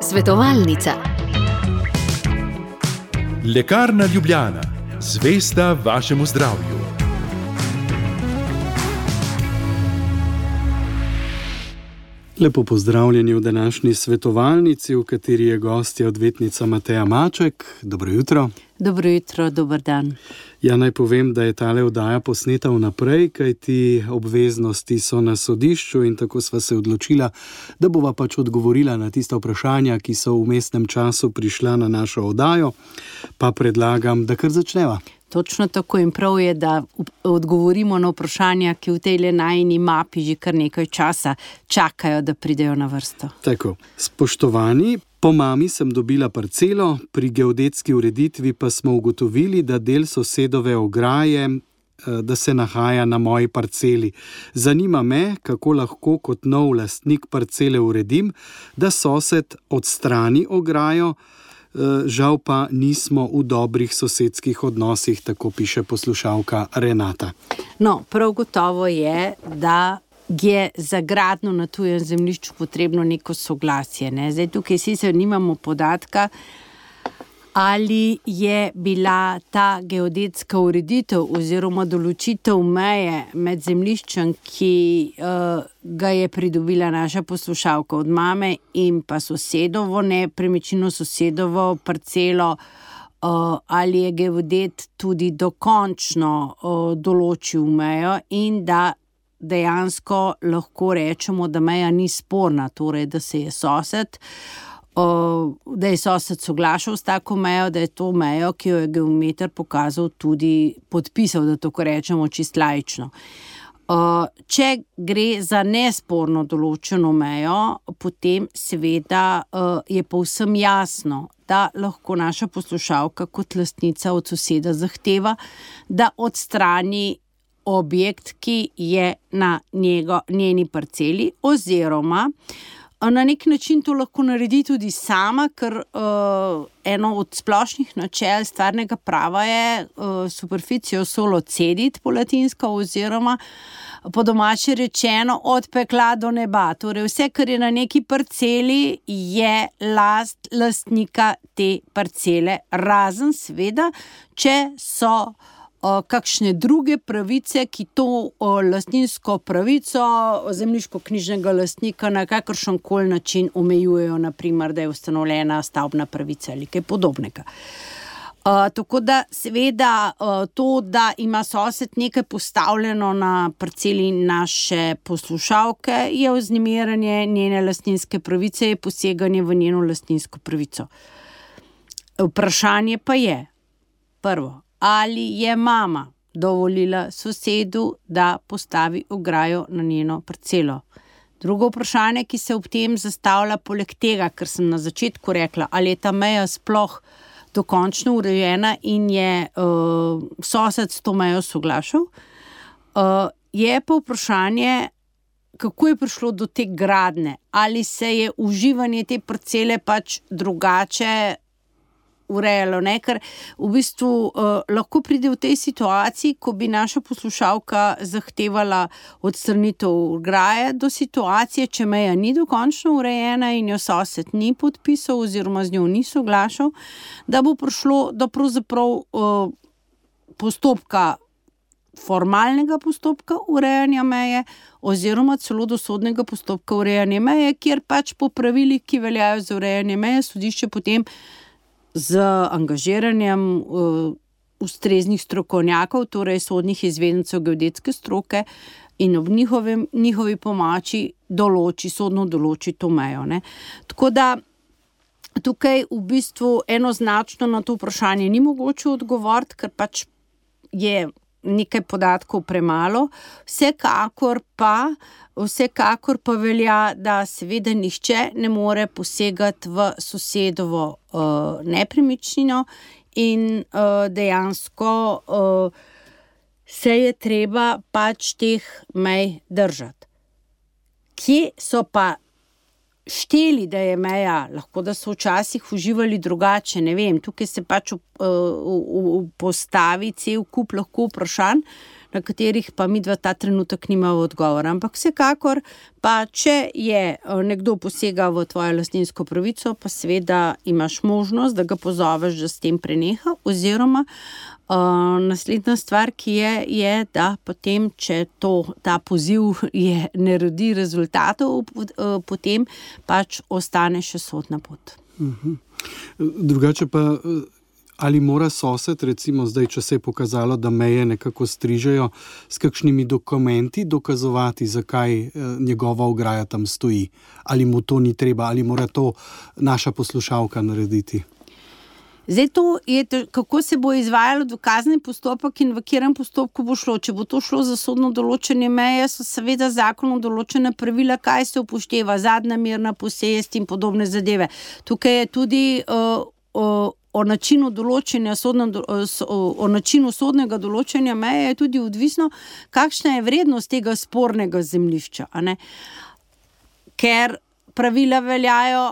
Svetovalnica. Lekarna Ljubljana, zvesta vašemu zdravju. Lepo pozdravljeni v današnji svetovalnici, v kateri je gostja odvetnica Mateja Maček. Dobro jutro. Dobro jutro, dober dan. Ja, naj povem, da je tale oddaja posneta vnaprej, kajti obveznosti so na sodišču in tako sva se odločila, da bova pač odgovorila na tista vprašanja, ki so v vmesnem času prišla na našo oddajo, pa predlagam, da kar začneva. Točno tako in prav je, da odgovorimo na vprašanja, ki v tej najini mapi že kar nekaj časa čakajo, da pridejo na vrsto. Tako, spoštovani, po mami sem dobila parcelo, pri geodetski ureditvi pa smo ugotovili, da del sosedove ograje, da se nahaja na moji parceli. Zanima me, kako lahko kot nov lastnik parcele uredim, da sosed odstrani ograjo, žal pa nismo v dobrih sosedskih odnosih, tako piše poslušalka Renata. No, prav gotovo je, da je za gradnjo na tujem zemljišču potrebno neko soglasje. Ne? Zdaj tukaj sicer nimamo podatka, ali je bila ta geodetska ureditev oziroma določitev meje med zemljiščem, ki ga je pridobila naša poslušalka od mame in pa sosedovo nepremičnino, sosedovo parcelo, ali je geodet tudi dokončno določil mejo in da dejansko lahko rečemo, da meja ni sporna, torej da se je sosed soglašal s tako mejo, da je to mejo, ki jo je geometer pokazal, tudi podpisal, da tako rečemo čist laično. Če gre za nesporno določeno mejo, potem seveda je povsem jasno, da lahko naša poslušalka kot lastnica od soseda zahteva, da odstrani objekt, ki je na njeni parceli, oziroma na nek način to lahko naredi tudi sama, ker eno od splošnih načel stvarnega prava je superficio solo cedit po latinsko, oziroma po domače rečeno od pekla do neba. Torej vse, kar je na neki parceli, je lastnika te parcele, razen seveda, če so kakšne druge pravice, ki to lastninsko pravico zemljiško-knjižnega lastnika na kakršenkoli način omejujejo, naprimer, da je ustanovljena stavbna pravica ali kaj podobnega. Tako da seveda to, da ima sosed nekaj postavljeno na parceli naše poslušalke, je vznemirjanje njene lastninske pravice, je poseganje v njeno lastninsko pravico. Vprašanje pa je, prvo, ali je mama dovolila sosedu, da postavi ograjo na njeno parcelo. Drugo vprašanje, ki se ob tem zastavlja poleg tega, ker sem na začetku rekla, ali je ta meja sploh dokončno urejena in je sosed s to mejo soglašal, je pa vprašanje, kako je prišlo do te gradnje, ali se je uživanje te parcele pač drugače urejalo, ne? Ker v bistvu lahko pride v tej situaciji, ko bi naša poslušalka zahtevala odstranitev ograje, do situacije, če meja ni dokončno urejena in jo sosed ni podpisal oziroma z njo ni soglašal, da bo prišlo do pravzaprav postopka, formalnega postopka urejanja meje oziroma celo do sodnega postopka urejanja meje, kjer pač po pravilih, ki veljajo za urejanje meje, sodišče potem z angažiranjem ustreznih strokovnjakov, torej sodnih izvedencev geodetske stroke in ob njihovi pomoči sodno določi to mejo. Ne? Tako da tukaj v bistvu enoznačno na to vprašanje ni mogoče odgovoriti, ker pač je nekaj podatkov premalo. Vsekakor pa velja, da seveda nihče ne more posegati v sosedovo nepremičnino in dejansko se je treba pač teh mej držati. Kje so pa šteli, da je meja, lahko da so včasih uživali drugače, ne vem, tukaj se pač postavi cel kup lahko vprašanj, na katerih pa midva ta trenutek nimava odgovora. Ampak vsekakor pa, če je nekdo posega v tvojo lastninsko pravico, pa seveda imaš možnost, da ga pozoveš, da s tem preneha, oziroma naslednja stvar, ki je, da potem, če ta poziv ne rodi rezultatov, potem pač ostane še sodna pot. Drugače pa, ali mora sosed, recimo zdaj, če se je pokazalo, da meje nekako strižejo, s kakšnimi dokumenti dokazovati, zakaj njegova ograja tam stoji? Ali mu to ni treba, ali mora to naša poslušalka narediti? Zdaj to je, kako se bo izvajalo dokazni postopek in v katerem postopku bo šlo. Če bo to šlo za sodno določene meje, so seveda zakonom določena pravila, kaj se upošteva, zadnja mirna posest in podobne zadeve. Tukaj je tudi o načinu določenja o načinu sodnega določenja meje je tudi odvisno, kakšna je vrednost tega spornega zemljišča, a ne? Ker pravila veljajo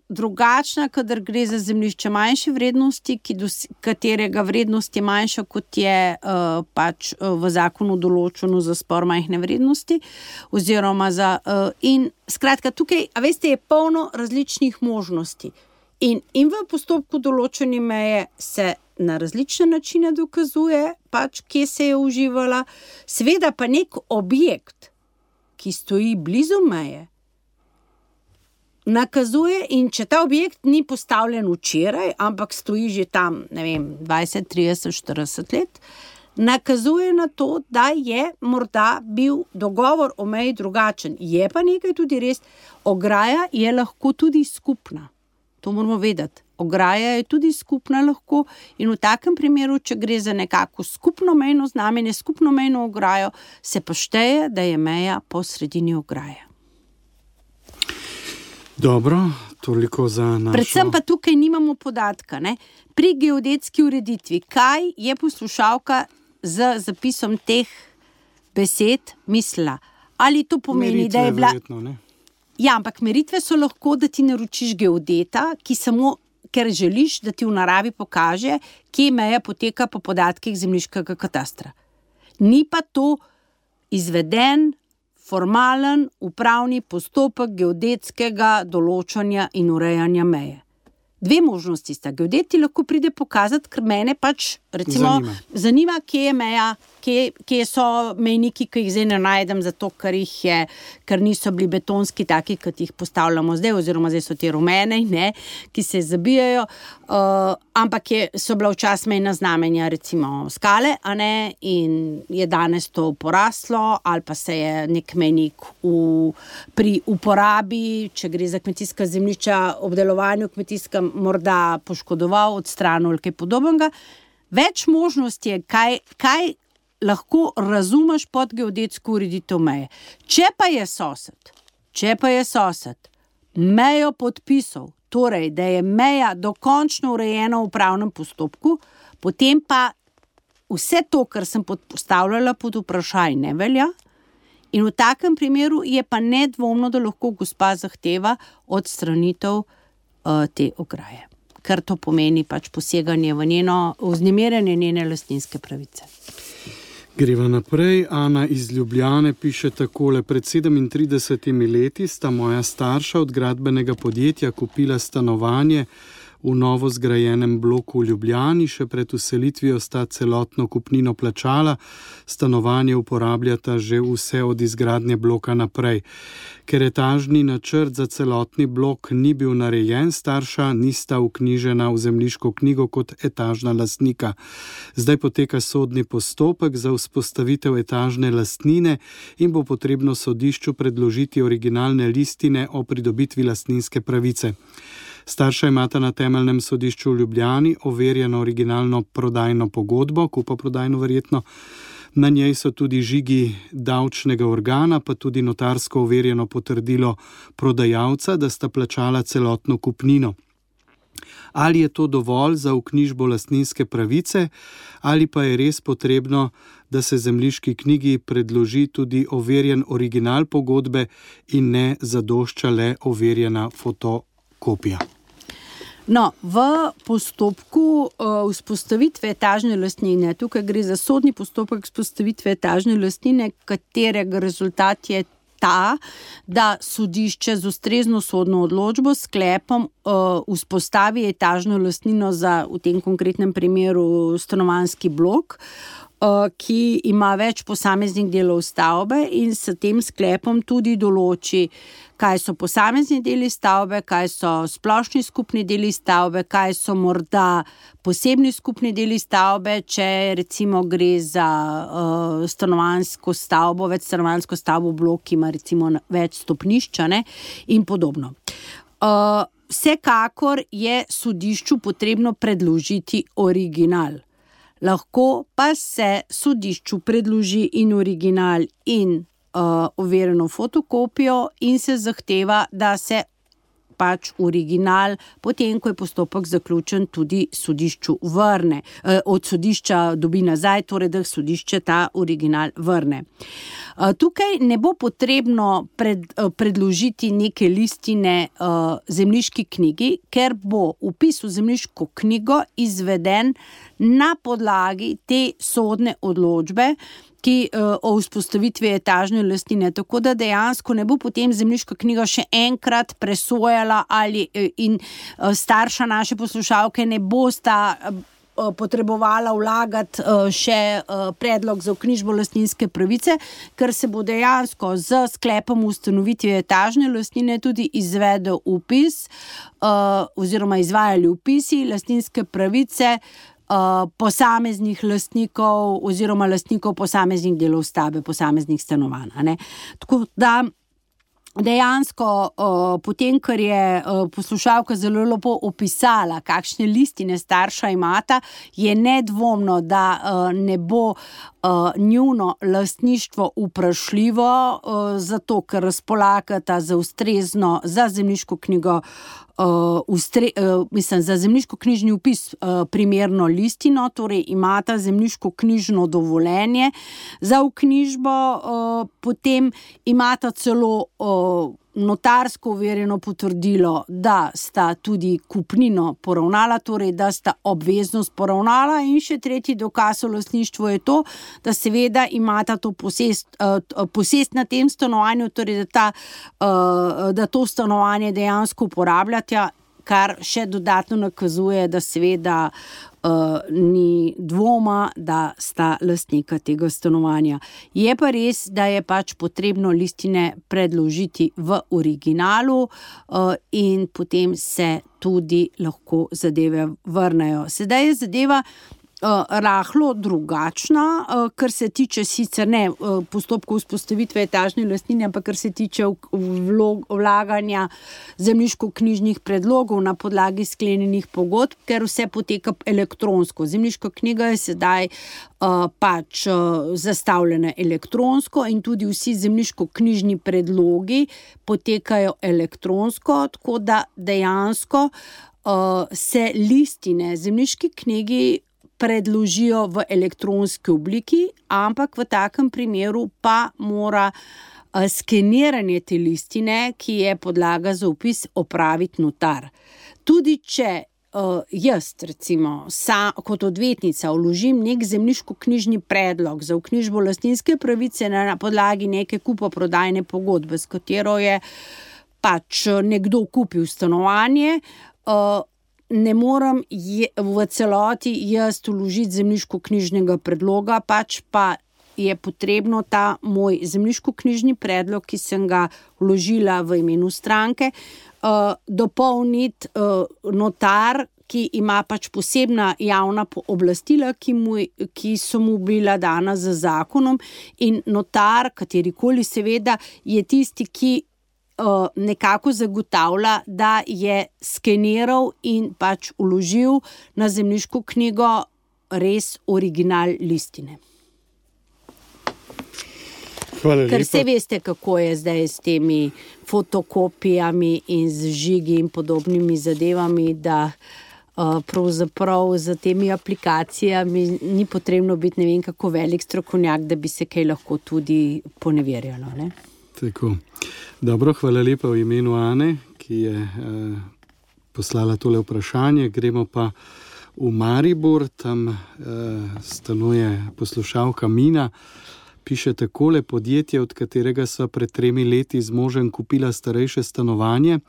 drugačna, kadar gre za zemljišče manjše vrednosti, katerega vrednost je manjša, kot je pač v zakonu določeno za spor majhne vrednosti, oziroma in skratka, tukaj, a veste, je polno različnih možnosti. In v postopku določene meje se na različne načine dokazuje, pač kje se je uživala, seveda pa nek objekt, ki stoji blizu meje, nakazuje, in če ta objekt ni postavljen včeraj, ampak stoji že tam, 20, 30, 40 let, nakazuje na to, da je morda bil dogovor o meji drugačen. Je pa nekaj tudi res, ograja je lahko tudi skupna. To moramo vedeti. Ograja je tudi skupna lahko in v takem primeru, če gre za nekako skupno mejno znamenje, skupno mejno ograjo, se pa šteje, da je meja po sredini ograje. Dobro, toliko za našo... Predvsem pa tukaj nimamo podatka, ne? Pri geodetski ureditvi, kaj je poslušalka z zapisom teh besed mislila? Ali to pomeni, meritve, da je bila... Verjetno, ne? Ja, ampak meritve so lahko, da ti naročiš geodeta, ki samo, ker želiš, da ti v naravi pokaže, kje meja poteka po podatkih zemljiškega katastra. Ni pa to izveden formalen upravni postopek geodetskega določanja in urejanja meje. Dve možnosti sta. Geodet ti lahko pride pokazati, ker mene pač recimo zanima, kje je meja, kje so mejniki, ki jih zdaj ne najdem, zato ker niso bili betonski taki, kot jih postavljamo zdaj, oziroma zdaj so te rumene, ne, ki se zabijajo, ampak so bila včasih mejna znamenja, recimo skale, a ne, in je danes to poraslo, ali pa se je nek mejnik pri uporabi, če gre za kmetijska zemljišča, obdelovanju kmetijskem, morda poškodoval, odstranil ali kaj podobnega. Več možnosti je, kaj lahko razumeš pod geodetsko ureditev meje. Če pa je sosed mejo podpisal, torej, da je meja dokončno urejena v upravnem postopku, potem pa vse to, kar sem postavljala pod vprašaj, ne velja. In v takem primeru je pa nedvomno, da lahko gospa zahteva odstranitev te ograje. Ker to pomeni pač poseganje v vznemirjanje njene lastninske pravice. Greva naprej. Ana iz Ljubljane piše takole: pred 37 leti sta moja starša od gradbenega podjetja kupila stanovanje v novo zgrajenem bloku v Ljubljani, še pred vselitvijo sta celotno kupnino plačala, stanovanje uporabljata že vse od izgradnje bloka naprej. Ker etažni načrt za celotni blok ni bil narejen, starša nista vknjižena v zemljiško knjigo kot etažna lastnika. Zdaj poteka sodni postopek za vzpostavitev etažne lastnine in bo potrebno sodišču predložiti originalne listine o pridobitvi lastninske pravice. Starša imata na temeljnem sodišču v Ljubljani overjeno originalno prodajno pogodbo, kupoprodajno verjetno. Na njej so tudi žigi davčnega organa, pa tudi notarsko overjeno potrdilo prodajalca, da sta plačala celotno kupnino. Ali je to dovolj za vknjižbo lastninske pravice, ali pa je res potrebno, da se zemljiški knjigi predloži tudi overjen original pogodbe in ne zadošča le overjena fotokopija? No, v postopku vzpostavitve etažne lastnine, tukaj gre za sodni postopek vzpostavitve etažne lastnine, katerega rezultat je ta, da sodišče z ustrezno sodno odločbo s sklepom vzpostavi etažno lastnino za, v tem konkretnem primeru, stanovanjski blok, ki ima več posameznih delov stavbe in s tem sklepom tudi določi, kaj so posamezni deli stavbe, kaj so splošni skupni deli stavbe, kaj so morda posebni skupni deli stavbe, če recimo gre za stanovanjsko stavbo, večstanovanjsko stavbo blok, ki ima recimo več stopnišča, ne, in podobno. Vsekakor je sodišču potrebno predložiti original. Lahko pa se sodišču predloži in original in overjeno fotokopijo in se zahteva, da se pač original, potem ko je postopek zaključen, tudi sodišču vrne. Od sodišča dobi nazaj, torej da sodišče ta original vrne. Tukaj ne bo potrebno predložiti neke listine zemljiški knjigi, ker bo vpis v zemljiško knjigo izveden na podlagi te sodne odločbe, ki o vzpostavitvi etažne lastnine, tako da dejansko ne bo potem zemljiška knjiga še enkrat presojala in starša naše poslušalke ne bosta potrebovala vlagati še predlog za vknjižbo lastninske pravice, ker se bo dejansko z sklepom ustanovitve etažne lastnine tudi izvedel vpis oziroma izvajali vpisi lastninske pravice posameznih lastnikov oziroma lastnikov posameznih delov stavbe, posameznih stanovanj, ne. Tako da dejansko potem, ker je poslušalka zelo lepo opisala, kakšne listine starša imata, je nedvomno, da ne bo njuno lastništvo vprašljivo, zato ker razpolagata za ustrezno, za zemljiško knjigo, za zemljiško-knjižni vpis primerno listino, torej imata zemljiško-knjižno dovoljenje za vknjižbo, potem imata celo notarsko overjeno potrdilo, da sta tudi kupnino poravnala, torej da sta obveznost poravnala, in še tretji dokaz o lastništvu je to, da seveda imata to posest na tem stanovanju, torej da to stanovanje dejansko uporabljata, kar še dodatno nakazuje, da seveda ni dvoma, da sta lastnika tega stanovanja. Je pa res, da je pač potrebno listine predložiti v originalu in potem se tudi lahko zadeve vrnejo. Sedaj je zadeva rahlo drugačna, kar se tiče sicer ne postopkov vzpostavitve etažne lastnine, ampak kar se tiče vlaganja zemljiško-knjižnih predlogov na podlagi sklenjenih pogodb, ker vse poteka elektronsko. Zemljiška knjiga je sedaj pač zastavljena elektronsko in tudi vsi zemljiško-knjižni predlogi potekajo elektronsko, tako da dejansko se listine zemljiški knjigi predložijo v elektronski obliki, ampak v takem primeru pa mora skeniranje te listine, ki je podlaga za vpis, opraviti notar. Tudi če jaz, recimo, kot odvetnica vložim nek zemljiško-knjižni predlog za vknjižbo lastninske pravice na podlagi neke kupoprodajne pogodbe, s katero je pač nekdo kupil stanovanje, ne morem v celoti jaz vložiti zemljiško-knjižnega predloga, pač pa je potrebno ta moj zemljiško-knjižni predlog, ki sem ga vložila v imenu stranke, dopolniti notar, ki ima pač posebna javna pooblastila, ki so mu bila dana z zakonom, in notar, katerikoli seveda, je tisti, ki nekako zagotavlja, da je skeniral in pač vložil na zemljiško knjigo res original listine. Hvala lepa. Ker vse veste, kako je zdaj s temi fotokopijami in z žigi in podobnimi zadevami, da pravzaprav za temi aplikacijami ni potrebno biti ne vem kako velik strokovnjak, da bi se kaj lahko tudi poneverjalo, ne? Tako. Dobro, hvala lepa v imenu Ane, ki je poslala tole vprašanje. Gremo pa v Maribor, tam stanuje poslušalka Mina. Piše takole: podjetje, od katerega sva pred 3 leti z možem kupila starejše stanovanje,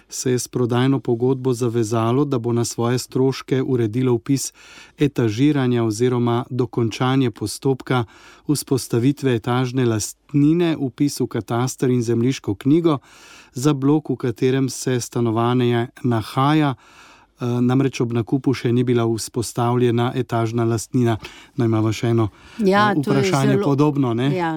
se je s prodajno pogodbo zavezalo, da bo na svoje stroške uredilo vpis etažiranja oziroma dokončanje postopka vzpostavitve etažne lastnine, vpis v kataster in zemljiško knjigo za blok, v katerem se stanovanje nahaja. Namreč ob nakupu še ni bila vzpostavljena etažna lastnina. No, imamo še eno vprašanje podobno. Ne? Ja.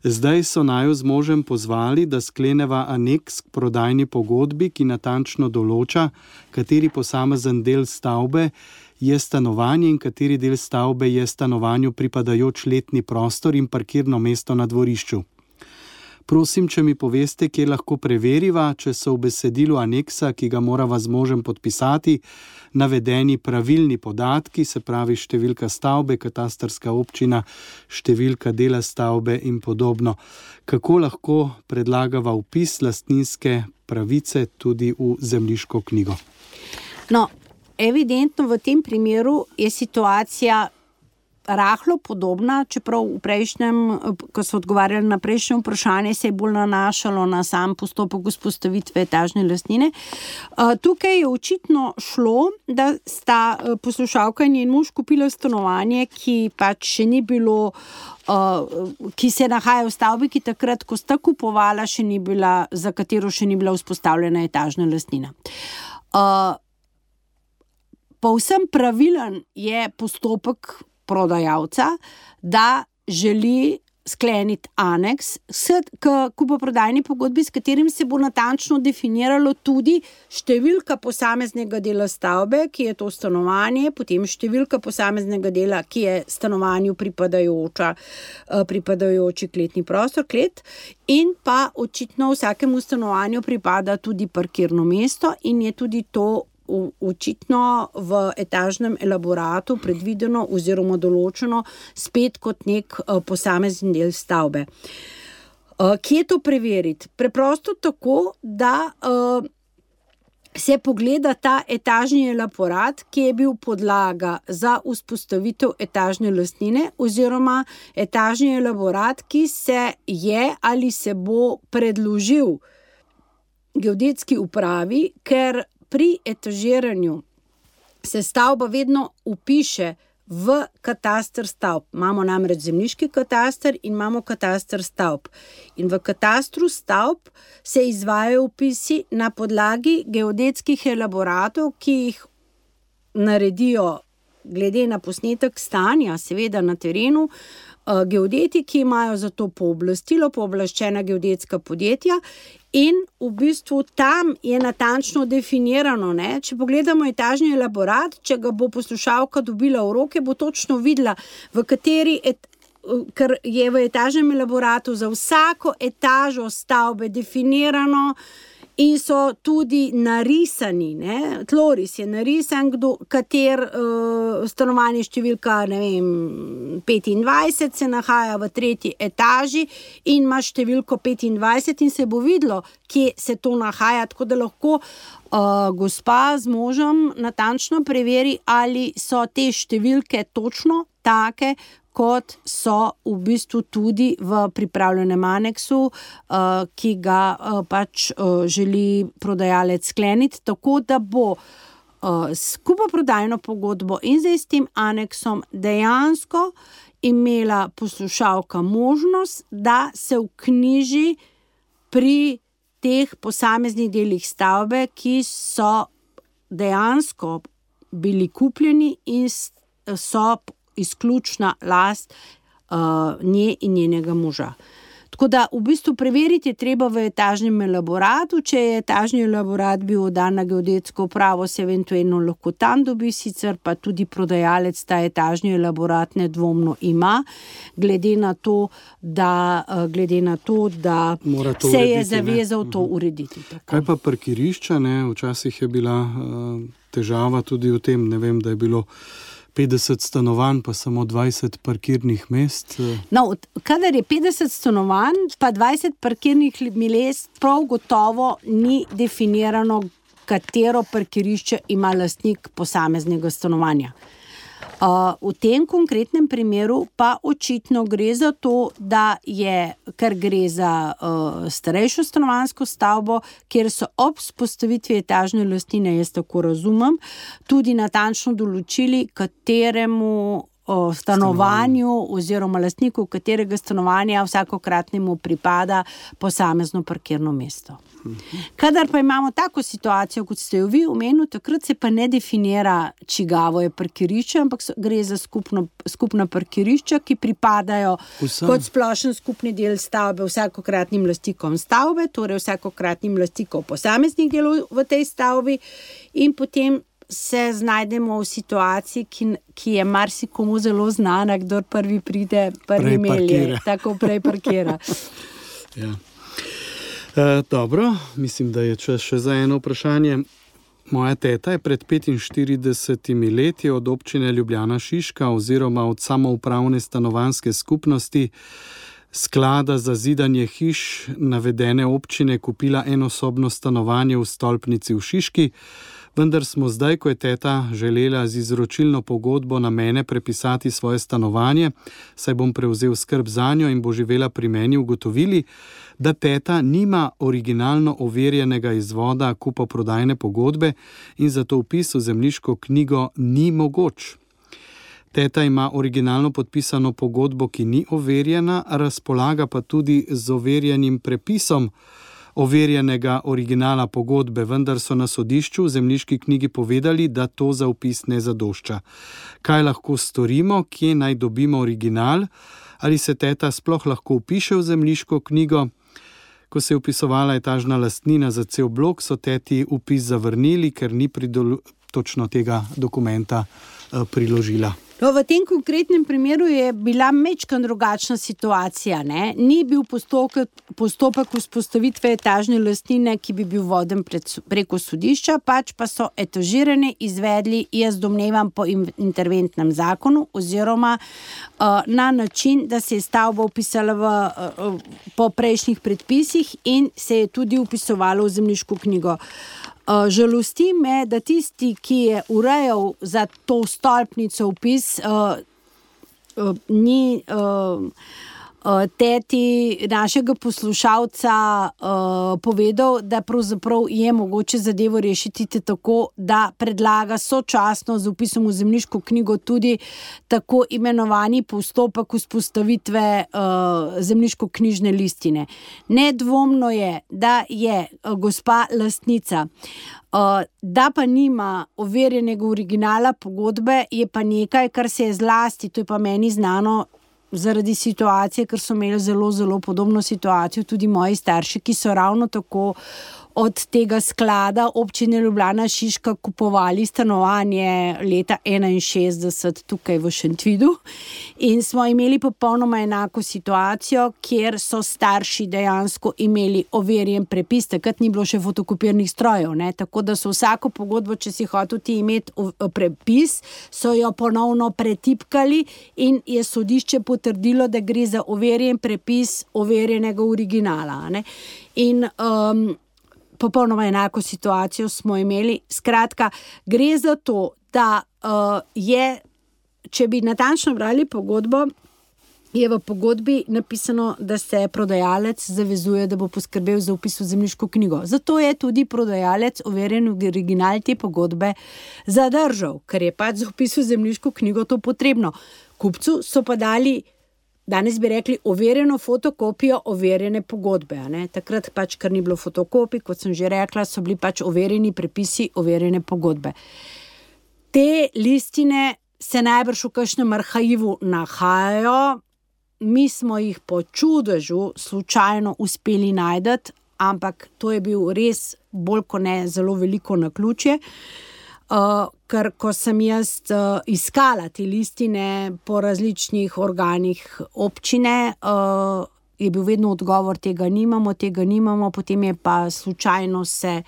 Zdaj so naju z možem pozvali, da skleneva aneks k prodajni pogodbi, ki natančno določa, kateri posamezen del stavbe je stanovanje in kateri del stavbe je stanovanju pripadajoč letni prostor in parkirno mesto na dvorišču. Prosim, če mi poveste, kje lahko preveriva, če so v besedilu aneksa, ki ga morava z možem podpisati, navedeni pravilni podatki, se pravi številka stavbe, katastrska občina, številka dela stavbe in podobno. Kako lahko predlagava vpis lastninske pravice tudi v zemljiško knjigo? No, evidentno v tem primeru je situacija rahlo podobna, čeprav v prejšnjem, ko so odgovarjali na prejšnje vprašanje, se je bolj nanašalo na sam postopek vzpostavitve etažne lastnine. Tukaj je očitno šlo, da sta poslušalka in njen mož kupila stanovanje, ki pač še ni bilo, ki se nahaja v stavbi, ki takrat, ko sta kupovala, še ni bila, za katero še ni bila vzpostavljena etažna lastnina. Povsem pravilen je postopek prodajalca, da želi skleniti aneks k kupoprodajni pogodbi, s katerim se bo natančno definiralo tudi številka posameznega dela stavbe, ki je to stanovanje, potem številka posameznega dela, ki je stanovanju pripadajoči kletni prostor, klet, in pa očitno vsakemu stanovanju pripada tudi parkirno mesto in je tudi to očitno v etažnem elaboratu predvideno oziroma določeno spet kot nek posamezen del stavbe. Kje to preveriti? Preprosto tako, da se pogleda ta etažni elaborat, ki je bil podlaga za vzpostavitev etažne lastnine oziroma etažni elaborat, ki se je ali se bo predložil geodetski upravi, ker pri etažiranju se stavba vedno vpiše v kataster stavb. Imamo namreč zemljiški kataster in imamo kataster stavb. In v katastru stavb se izvajajo vpisi na podlagi geodetskih elaboratov, ki jih naredijo glede na posnetek stanja, seveda na terenu, geodeti, ki imajo za to pooblaščena geodetska podjetja. In v bistvu tam je natančno definirano, ne? Če pogledamo etažni elaborat, če ga bo poslušalka dobila v roke, bo točno videla, v kateri, ker je v etažnem elaboratu za vsako etažo stavbe definirano in so tudi narisani, ne? Tloris je narisan, kater stanovanje številka, 25 se nahaja v 3. etaži in ima številko 25 in se bo videlo, kje se to nahaja, tako da lahko gospa z možem natančno preveri, ali so te številke točno take, kot so v bistvu tudi v pripravljenem aneksu, ki ga pač želi prodajalec skleniti, tako da bo s kupoprodajno pogodbo in zdaj s tem aneksom dejansko imela poslušalka možnost, da se vknjiži pri teh posameznih delih stavbe, ki so dejansko bili kupljeni in so izključna last nje in njenega moža. Tako da v bistvu preveriti je treba v etažnem elaboratu, če je etažni elaborat bil oddan na geodetsko upravo, se eventualno lahko tam dobi, sicer pa tudi prodajalec ta etažni elaborat nedvomno ima, glede na to, da se je zavezal to urediti. Tako. Kaj pa parkirišča, ne? Včasih je bila težava tudi v tem, ne vem, da je bilo 50 stanovanj, pa samo 20 parkirnih mest. No, kadar je 50 stanovanj, pa 20 parkirnih mest, prav gotovo ni definirano katero parkirišče ima lastnik posameznega stanovanja. V tem konkretnem primeru pa očitno gre za to, da je, ker gre za starejšo stanovanjsko stavbo, kjer so ob vzpostavitvi etažne lastnine, jaz tako razumem, tudi natančno določili, kateremu stanovanju oziroma lastniku katerega stanovanja vsakokratnemu pripada posamezno parkirno mesto. Kadar pa imamo tako situacijo, kot ste jo vi omenili, takrat se pa ne definira, čigavo je parkirišče, ampak gre za skupna parkirišča, ki pripadajo kot splošen skupni del stavbe vsakokratnim lastnikom stavbe, torej vsakokratnim lastnikom posameznih delov v tej stavbi, in potem se znajdemo v situaciji, ki je marsikomu zelo znana, kdor prvi pride, prvi melje, tako prej parkira. Ja. Dobro, mislim, da je čas še za eno vprašanje. Moja teta je pred 45 leti od občine Ljubljana Šiška oziroma od samoupravne stanovanjske skupnosti sklada za zidanje hiš navedene občine kupila enosobno stanovanje v stolpnici v Šiški, vendar smo zdaj, ko je teta želela z izročilno pogodbo na mene prepisati svoje stanovanje, saj bom prevzel skrb zanjo in bo živela pri meni, ugotovili, da teta nima originalno overjenega izvoda kupoprodajne pogodbe in zato vpis v zemljiško knjigo ni mogoč. Teta ima originalno podpisano pogodbo, ki ni overjena, razpolaga pa tudi z overjenim prepisom overjenega originala pogodbe, vendar so na sodišču v zemljiški knjigi povedali, da to za vpis ne zadošča. Kaj lahko storimo, kje naj dobimo original, ali se teta sploh lahko vpiše v zemljiško knjigo? Ko se je vpisovala etažna lastnina za cel blok, so teti vpis zavrnili, ker ni točno tega dokumenta priložila. No, v tem konkretnem primeru je bila majčkeno drugačna situacija, ne? Ni bil postopek vzpostavitve etažne lastnine, ki bi bil voden preko sodišča, pač pa so etažiranje izvedli, jaz domnevam, po interventnem zakonu oziroma na način, da se je stavba vpisala po prejšnjih predpisih in se je tudi vpisovalo v zemljiško knjigo. Žalosti me, da tisti, ki je urejal za to stolpnico vpis, ni teti našega poslušalca povedal, da pravzaprav je mogoče zadevo rešiti tako, da predlaga sočasno z vpisom v zemljiško knjigo tudi tako imenovani postopek vzpostavitve zemljiško-knjižne listine. Nedvomno je, da je gospa lastnica, da pa nima overjenega originala pogodbe, je pa nekaj, kar se je zlasti, to je pa meni znano, zaradi situacije, ker so imeli zelo, zelo podobno situacijo tudi moji starši, ki so ravno tako od tega sklada občine Ljubljana Šiška kupovali stanovanje leta 61 tukaj v Šentvidu in smo imeli popolnoma enako situacijo, kjer so starši dejansko imeli overjen prepis, takrat ni bilo še fotokopirnih strojev, ne? Tako da so vsako pogodbo, če si hotel ti imeti prepis, so jo ponovno pretipkali in je sodišče potrdilo, da gre za overjen prepis overjenega originala, ne? In popolnoma enako situacijo smo imeli. Skratka, gre za to, da je, če bi natančno brali pogodbo, je v pogodbi napisano, da se prodajalec zavezuje, da bo poskrbel za vpis v zemljiško knjigo. Zato je tudi prodajalec overjen original te pogodbe zadržal, ker je pač za vpis v zemljiško knjigo to potrebno. Kupcu so pa dali, danes bi rekli, overjeno fotokopijo overjene pogodbe. Ne? Takrat pač, ker ni bilo fotokopij, kot sem že rekla, so bili pač overjeni prepisi, overjene pogodbe. Te listine se najbrž v kakšnem arhivu nahajajo, mi smo jih po čudežu slučajno uspeli najti, ampak to je bil res bolj kot ne zelo veliko naključje. Ker ko sem jaz iskala te listine po različnih organih občine, je bil vedno odgovor, tega nimamo, potem je pa slučajno se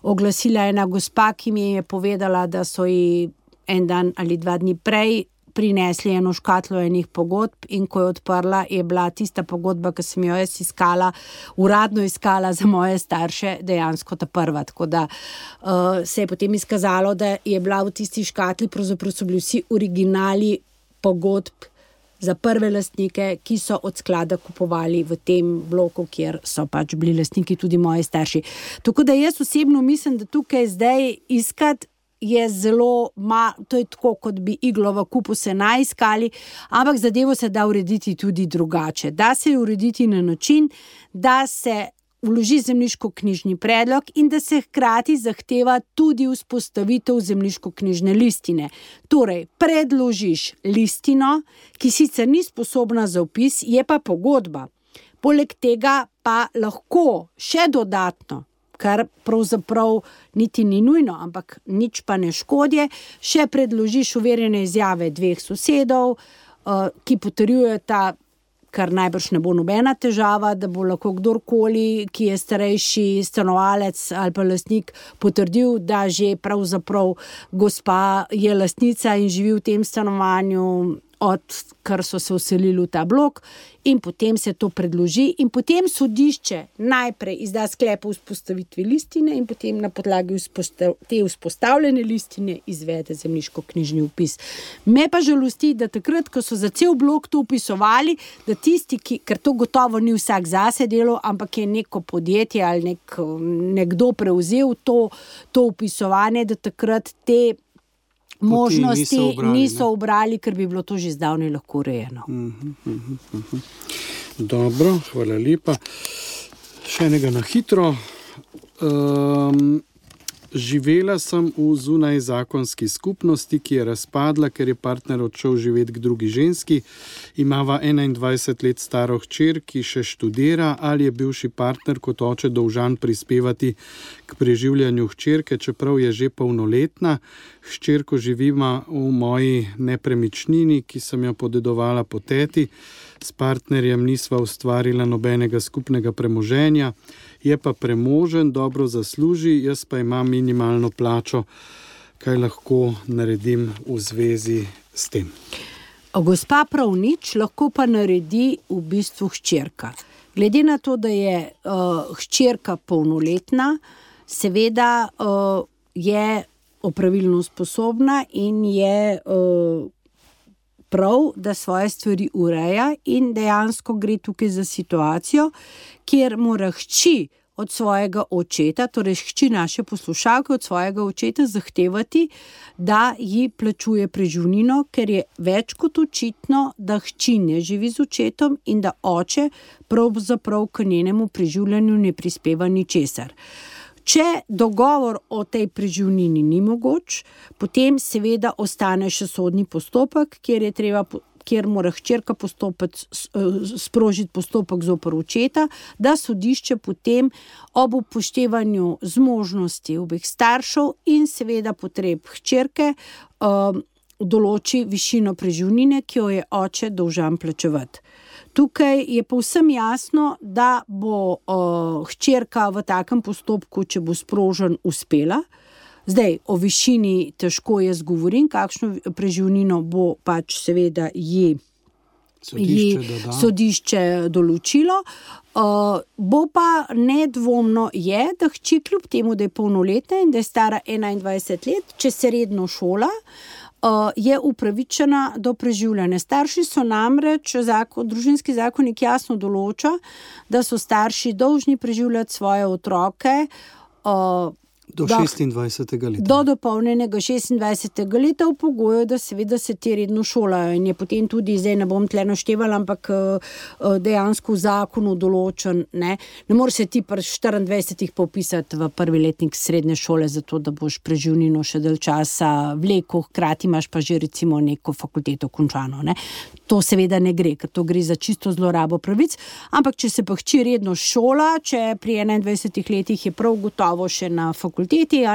oglasila ena gospa, ki mi je povedala, da so ji en dan ali 2 dni prej prinesli eno škatlo enih pogodb in ko je odprla, je bila tista pogodba, ki sem jo jaz uradno iskala za moje starše, dejansko ta prva. Tako da se je potem izkazalo, da je bila v tisti škatli, pravzaprav so bili vsi originali pogodb za prve lastnike, ki so od sklada kupovali v tem bloku, kjer so pač bili lastniki tudi moji starši. Tako da jaz osebno mislim, da tukaj zdaj iskati je zelo, to je tako, kot bi iglo v kupu se naiskali, ampak zadevo se da urediti tudi drugače. Da se urediti na način, da se vloži zemljiško-knjižni predlog in da se hkrati zahteva tudi vzpostavitev zemljiško-knjižne listine. Torej, predložiš listino, ki sicer ni sposobna za vpis, je pa pogodba. Poleg tega pa lahko še dodatno, kar pravzaprav niti ni nujno, ampak nič pa ne škodje, še predložiš overjene izjave 2 sosedov, ki potrjujeta, kar najbrž ne bo nobena težava, da bo lahko kdorkoli, ki je starejši stanovalec ali pa lastnik, potrdil, da že pravzaprav gospa je lastnica in živi v tem stanovanju, odkar so se vselili v ta blok, in potem se to predloži in potem sodišče najprej izda sklep o vzpostavitvi listine in potem na podlagi te vzpostavljene listine izvede zemljiško-knjižni vpis. Me pa žalosti, da takrat, ko so za cel blok to vpisovali, da tisti, ker to gotovo ni vsak zase delal, ampak je neko podjetje ali nekdo prevzel to vpisovanje, da takrat te možnosti niso ubrali, ker bi bilo to že zdavnaj lahko urejeno. Dobro, hvala lepa. Še enega na hitro. Živela sem v zunajzakonski skupnosti, ki je razpadla, ker je partner odšel živeti k drugi ženski. Imava 21 let staro hčer, ki še študira, ali je bivši partner kot oče dolžan prispevati k preživljanju hčerke, čeprav je že polnoletna. Hčerko živima v moji nepremičnini, ki sem jo podedovala po teti. S partnerjem nisva ustvarila nobenega skupnega premoženja. Je pa premožen, dobro zasluži, jaz pa imam minimalno plačo. Kaj lahko naredim v zvezi s tem? Gospa prav nič, lahko pa naredi v bistvu hčerka. Glede na to, da je hčerka polnoletna, seveda je opravilno sposobna in je prav, da svoje stvari ureja in dejansko gre tukaj za situacijo, kjer mora hči od svojega očeta, torej hči naše poslušalke od svojega očeta zahtevati, da ji plačuje preživnino, ker je več kot očitno, da hči ne živi z očetom in da oče pravzaprav k njenemu preživljanju ne prispeva ničesar. Če dogovor o tej preživnini ni mogoč, potem seveda ostane še sodni postopek, kjer mora hčerka sprožiti postopek zoper očeta, da sodišče potem ob upoštevanju zmožnosti obeh staršev in seveda potreb hčerke določi višino preživnine, ki jo je oče dolžan plačevati. Tukaj je povsem jasno, da bo hčerka v takem postopku, če bo sprožen, uspela. Zdaj, o višini težko jaz govorim, kakšno preživnino bo pač seveda ji sodišče določilo. Bo pa nedvomno je, da hči kljub temu, da je polnoletna in da je stara 21 let, če se redno šola, je upravičena do preživljanja. Starši so namreč, družinski zakonik jasno določa, da so starši dolžni preživljati svoje otroke do 26. leta. Do dopolnjenega 26. leta v pogoju, da seveda se ti redno šolajo in je potem tudi, zdaj ne bom tle naštevala, ampak dejansko v zakonu določen, ne more se ti pri 24 popisati v prvi letnik srednje šole, zato da boš preživnino še dalj časa vlekel, hkrati imaš pa že recimo neko fakulteto končano, ne. To seveda ne gre, ker to gre za čisto zlorabo pravic, ampak če se pa hči redno šola, če pri 21 letih je prav gotovo še na fakulteto fakulteti,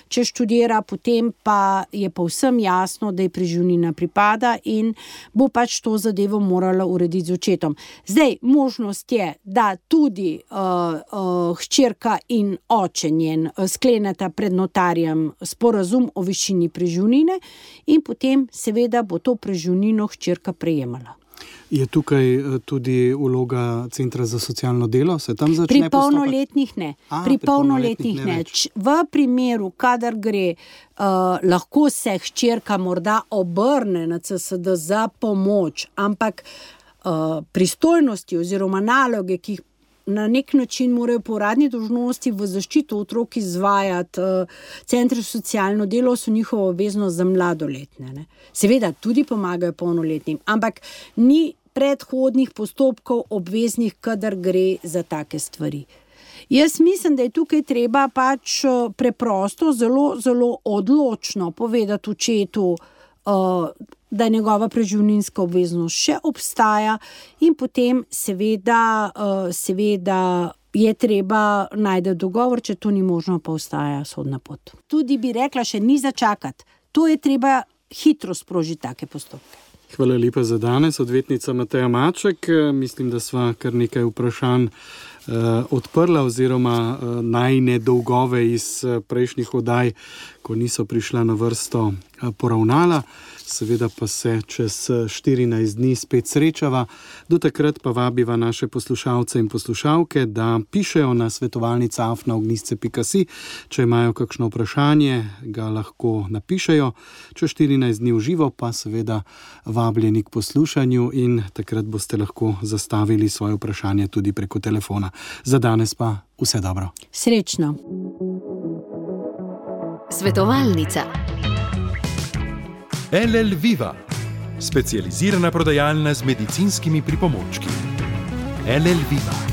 če študira, potem pa je povsem jasno, da je preživnina pripada in bo pač to zadevo morala urediti z očetom. Zdaj, možnost je, da tudi hčerka in oče njen skleneta pred notarjem sporazum o višini preživnine in potem seveda bo to preživnino hčerka prejemala. Je tukaj tudi vloga Centra za socialno delo? Se tam začne Pri polnoletnih ne. Pri polnoletnih ne. V primeru, kadar gre, lahko se hčerka morda obrne na CSD za pomoč, ampak pristojnosti oziroma naloge, ki jih na nek način morajo po uradni dolžnosti v zaščito otrok izvajati centri za socialno delo, so njihovo obveznost za mladoletne. Ne. Seveda tudi pomagajo polnoletnim, ampak ni predhodnih postopkov obveznih, kadar gre za take stvari. Jaz mislim, da je tukaj treba pač preprosto, zelo, zelo odločno povedati očetu, da njegova preživninska obveznost še obstaja in potem seveda je treba najti dogovor, če to ni možno, pa ostaja sodna pot. Tudi bi rekla, še ni začakati. To je treba hitro sprožiti take postopke. Hvala lepa za danes, odvetnica Mateja Maček. Mislim, da sva kar nekaj vprašanj odprla oziroma najine dolgove iz prejšnjih oddaj, ko niso prišla na vrsto, poravnala. Seveda pa se čez 14 dni spet srečava. Do takrat pa vabiva naše poslušalce in poslušalke, da pišejo na svetovalnica@ognisce.si. Če imajo kakšno vprašanje, ga lahko napišejo. Čez 14 dni v živo pa seveda vabljeni k poslušanju in takrat boste lahko zastavili svoje vprašanje tudi preko telefona. Za danes pa vse dobro. Srečno. Svetovalnica. LL Viva, specializirana prodajalna z medicinskimi pripomočki. LL Viva.